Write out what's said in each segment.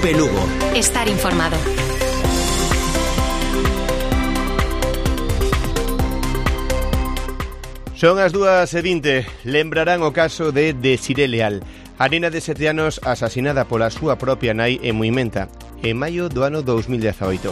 COPE Lugo. Estar informado. Son as 2:20. Lembrarán o caso de Desiré Leal, a nena de 7 anos asasinada pola súa propia nai en Muimenta, en maio do ano 2018.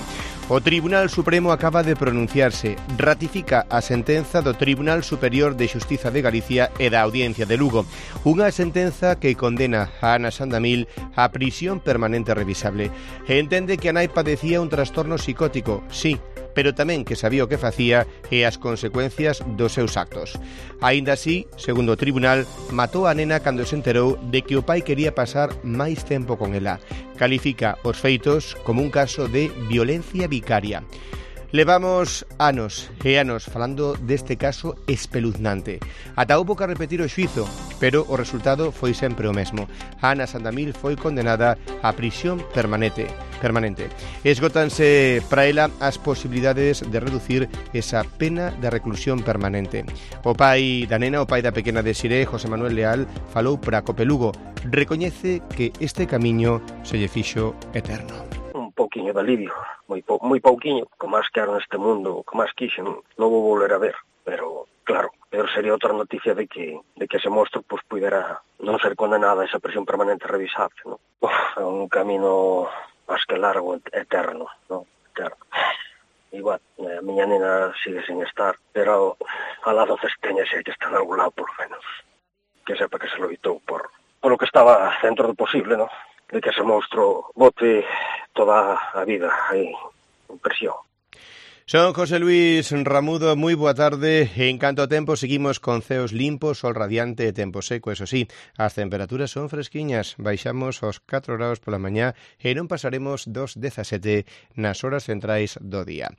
O Tribunal Supremo acaba de pronunciarse, ratifica a sentenza do Tribunal Superior de Xustiza de Galicia e da Audiencia de Lugo, unha sentenza que condena a Ana Sandamil a prisión permanente revisable. Entende que a nai padecía un trastorno psicótico, sí, pero tamén que sabía o que facía e as consecuencias dos seus actos. Aínda así, segundo o tribunal, matou a nena cando se enterou de que o pai quería pasar máis tempo con ela. Califica os feitos como un caso de violencia vicaria. Levamos anos e anos falando deste caso espeluznante. Ata houbo que repetir o xuízo, pero o resultado foi sempre o mesmo. Ana Sandamil foi condenada a prisión permanente. Esgótanse para ela as posibilidades de reducir esa pena de reclusión permanente. O pai da nena, o pai da pequena Desiré, José Manuel Leal, falou para COPE Lugo. Recoñece que este camiño se lle fixo eterno. Un pouquiño de alivio, moi pouquiño, co máis quero neste mundo, co máis quixen, non vou volver a ver, pero claro, pero sería outra noticia de que ese monstro pues pudera non ser condenada a esa prisión permanente revisable, ¿no? É un camino máis que largo, eterno, ¿no? Eterno. Igual, a miña nena sigue sin estar, pero al lado cesteña se que está en algún lado, por lo menos. Que sepa que se loitou por lo que estaba dentro do posible, ¿no? De que ese monstro bote toda a vida aí en prisión. Son José Luis Ramudo, moi boa tarde. En canto ao tempo, seguimos con ceos limpos, sol radiante e tempo seco, eso sí, as temperaturas son fresquiñas, baixamos aos 4 graus pola mañá e non pasaremos dos 17 nas horas centrais do día.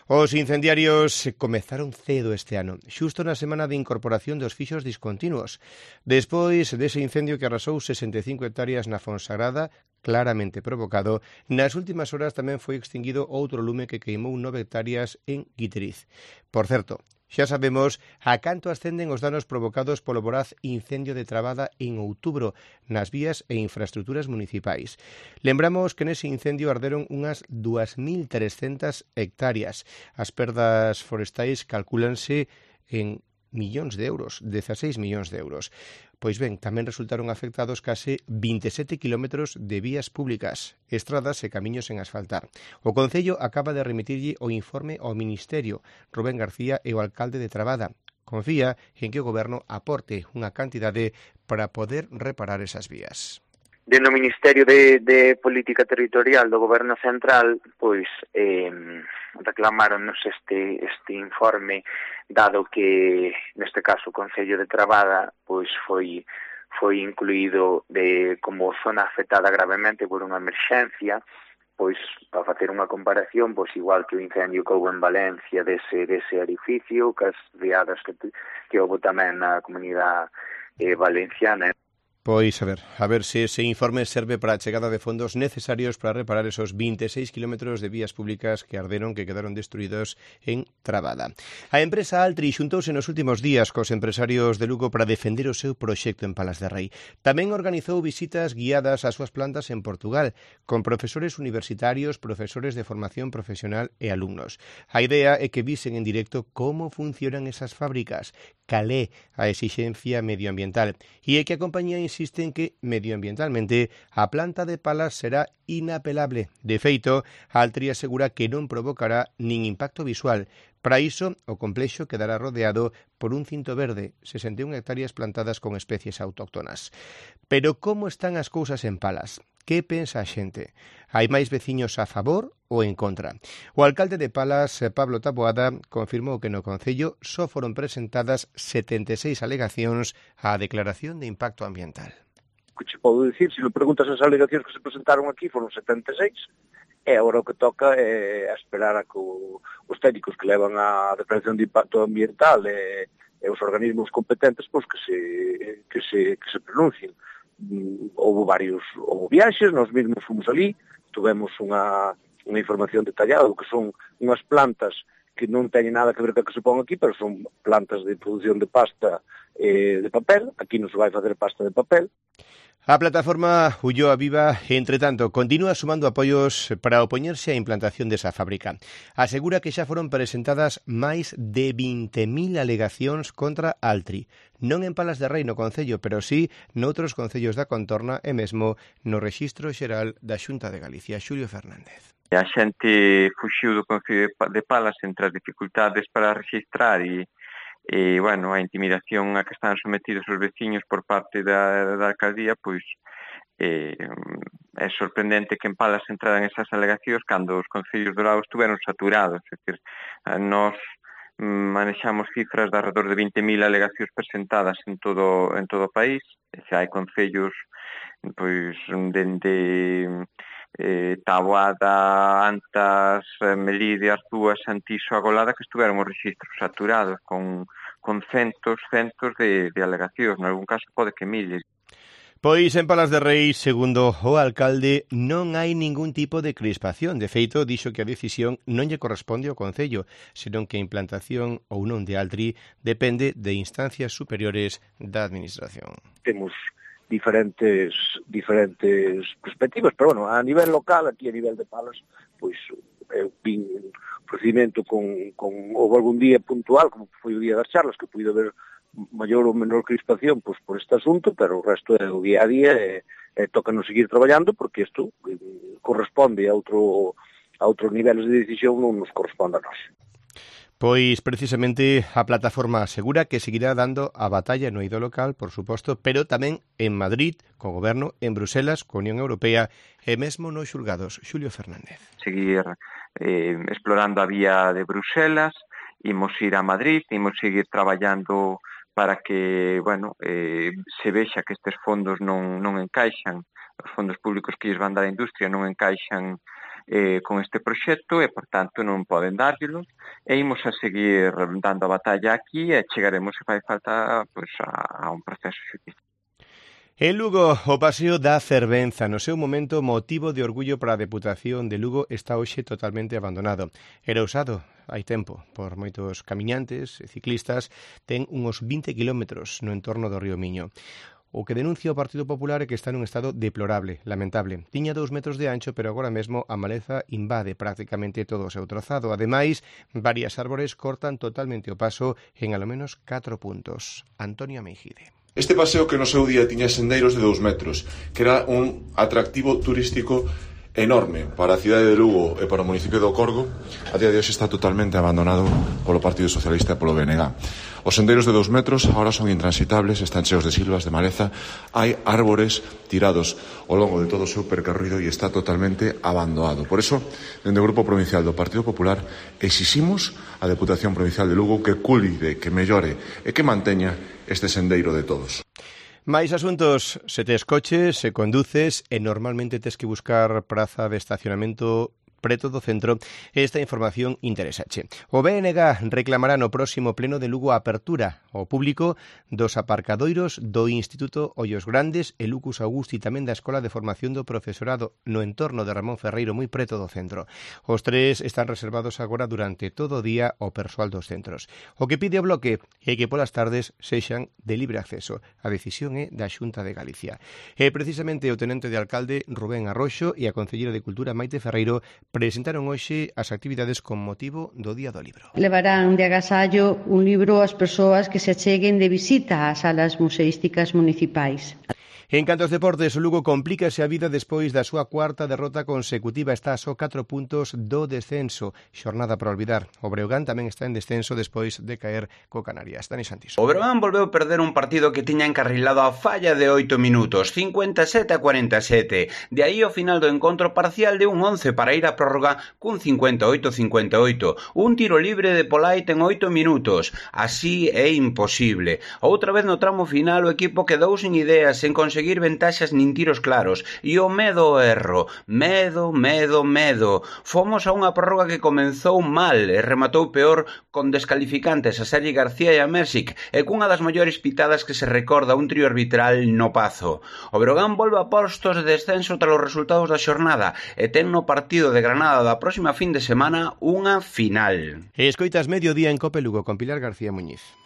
Os incendiarios comezaron cedo este ano, xusto na semana de incorporación dos fixos discontinuos. Despois dese incendio que arrasou 65 hectáreas na Fonsagrada, claramente provocado, nas últimas horas tamén foi extinguido outro lume que queimou 9 hectáreas en Guiteriz. Por certo, xa sabemos a canto ascenden os danos provocados polo voraz incendio de Trabada en outubro nas vías e infraestructuras municipais. Lembramos que nese incendio arderon unhas 2.300 hectáreas. As perdas forestais calcúlanse en millóns de euros, 16 millóns de euros. Pois ben, tamén resultaron afectados case 27 kilómetros de vías públicas, estradas e camiños en asfaltar. O Concello acaba de remitirlle o informe ao Ministerio. Rubén García é o alcalde de Trabada. Confía en que o Goberno aporte unha cantidade para poder reparar esas vías. Dentro do Ministerio de Política Territorial do Goberno Central, pois reclamáronnos este informe, dado que neste caso o Concello de Trabada pois foi incluído como zona afectada gravemente por unha emerxencia, pois para facer unha comparación, pois igual que o incendio que houve en Valencia dese edificio, que as riadas que houve tamén na comunidade valenciana. Pois a ver se ese informe serve para a chegada de fondos necesarios para reparar esos 26 kilómetros de vías públicas que arderon, que quedaron destruídos en Trabada. A empresa Altri xuntouse nos últimos días cos empresarios de Lugo para defender o seu proxecto en Palas de Rei. Tamén organizou visitas guiadas ás súas plantas en Portugal, con profesores universitarios, profesores de formación profesional e alumnos. A idea é que visen en directo como funcionan esas fábricas, cal é a exixencia medioambiental, e é que a compañía insiste en que, medioambientalmente, a planta de Palas será inapelable. De feito, Altri asegura que non provocará nin impacto visual. Para iso, o complexo quedará rodeado por un cinto verde, 61 hectáreas plantadas con especies autóctonas. Pero como están as cousas en Palas? Que pensa a xente? Hai máis veciños a favor ou en contra? O alcalde de Palas, Pablo Taboada, confirmou que no Concello só foron presentadas 76 alegacións á declaración de impacto ambiental. Que che podo dicir, se me preguntas as alegacións que se presentaron aquí, foron 76, e agora o que toca é esperar a que os técnicos que levan a declaración de impacto ambiental e os organismos competentes pois que se pronuncien. Houve viaxes, nós mesmos fomos ali, tuvemos unha información detallada do que son unhas plantas que non teñen nada que ver co que se pon aquí, pero son plantas de produción de pasta de papel. Aquí non se vai facer pasta de papel. A plataforma Ulloa Viva, entre tanto, continúa sumando apoios para opoñerse á implantación desa fábrica. Asegura que xa foron presentadas máis de 20.000 alegacións contra Altri, non en Palas de Rei no Concello, pero sí noutros concellos da contorna e mesmo no Rexistro Xeral da Xunta de Galicia. Xulio Fernández. A xente fuxiu do Concello de Palas entre as dificultades para registrar e bueno, a intimidación a que están sometidos os veciños por parte da alcaldía, pois é sorprendente que en Palas entraran esas alegacións cando os concellos do lado estuveron saturados. É dicir, nós manexamos cifras de alrededor de 20.000 alegacións presentadas en todo o país. Xa hai concellos pois dende Taboada, Antas, Melide, Arzúa, Santiso, Agolada, que estuveron os rexistros saturados con centos de alegacións, en algún caso pode que miles. Pois en Palas de Rei, segundo o alcalde, non hai ningún tipo de crispación. De feito, dixo que a decisión non lle corresponde ao Concello, senón que a implantación ou non de Altri depende de instancias superiores da Administración. Temos diferentes perspectivas, pero bueno, a nivel local, aquí a nivel de Palas, pois eu vin un procedimento houve algún día puntual, como foi o día das charlas, que puido haber maior ou menor crispación pois, por este asunto, pero o resto é o día a día e tócanos seguir traballando porque isto corresponde a outros niveles de decisión, non nos corresponde a nós. Pois precisamente a plataforma asegura que seguirá dando a batalla no eido local, por suposto, pero tamén en Madrid, co goberno, en Bruselas, co Unión Europea e mesmo nos xulgados. Xulio Fernández. Seguir explorando a vía de Bruselas, imos ir a Madrid, imos seguir traballando para que, bueno, se vexa que estes fondos non encaixan, os fondos públicos que lles van dar a industria non encaixan con este proxecto e, por tanto, non poden dárllelos e imos a seguir dando a batalla aquí e chegaremos, se fai falta, pues, a un proceso xudicial. En Lugo, o paseo da Fervenza, no seu momento motivo de orgullo para a Deputación de Lugo, está hoxe totalmente abandonado. Era usado hai tempo por moitos camiñantes e ciclistas, ten uns 20 kilómetros no entorno do río Miño. O que denuncia o Partido Popular é que está nun estado deplorable, lamentable. Tiña 2 metros de ancho, pero agora mesmo a maleza invade prácticamente todo o seu trazado. Ademais, varias árbores cortan totalmente o paso en alo menos 4 puntos. Antonio Meijide. Este paseo que no seu día tiña sendeiros de 2 metros, que era un atractivo turístico enorme para a cidade de Lugo e para o municipio do Corgo, a día de hoxe está totalmente abandonado polo Partido Socialista e polo BNG. Os senderos de 2 metros agora son intransitables, están cheos de silvas, de maleza, hai árbores tirados ao longo de todo o seu percorrido e está totalmente abandonado. Por eso, dende o Grupo Provincial do Partido Popular, exiximos á Deputación Provincial de Lugo que cuide, que mellore e que manteña este sendeiro de todos. Mais asuntos, se tes coches, se conduces e normalmente tes que buscar praza de estacionamento preto do centro, esta información interesache. O BNG reclamará no próximo pleno de Lugo a apertura ao público dos aparcadoiros do Instituto Ollos Grandes e Lucus Augusti tamén da Escola de Formación do Profesorado no entorno de Ramón Ferreiro, moi preto do centro. Os tres están reservados agora durante todo o día ao persoal dos centros. O que pide o Bloque é que polas tardes sexan de libre acceso. A decisión é da Xunta de Galicia. E precisamente o tenente de alcalde Rubén Arroxo e a concelleira de Cultura Maite Ferreiro presentaron hoxe as actividades con motivo do Día do Libro. Levarán de agasallo un libro ás persoas que se acheguen de visita ás salas museísticas municipais. En canto aos deportes, o Lugo complícase a vida despois da súa cuarta derrota consecutiva. Está a só 4 puntos do descenso. Xornada para olvidar. O Breogán tamén está en descenso despois de caer co Canarias. Dani Santiso. O Breogán volveu perder un partido que tiña encarrilado a falla de 8 minutos, 57-47. De aí o final do encontro parcial de un 11 para ir a prórroga cun 58-58. Un tiro libre de Polait en 8 minutos. Así é imposible. Outra vez no tramo final o equipo quedou sin ideas, sen conseguir ventaxas nin tiros claros e o medo ao erro, medo. Fomos a unha prórroga que comenzou mal e rematou peor con descalificantes a Sergi García e a Mersic e cunha das maiores pitadas que se recorda un trío arbitral no Pazo. O Breogán volve a postos de descenso tras os resultados da xornada e ten no partido de Granada da próxima fin de semana unha final. Escoitas Mediodía en Cope Lugo con Pilar García Muñiz.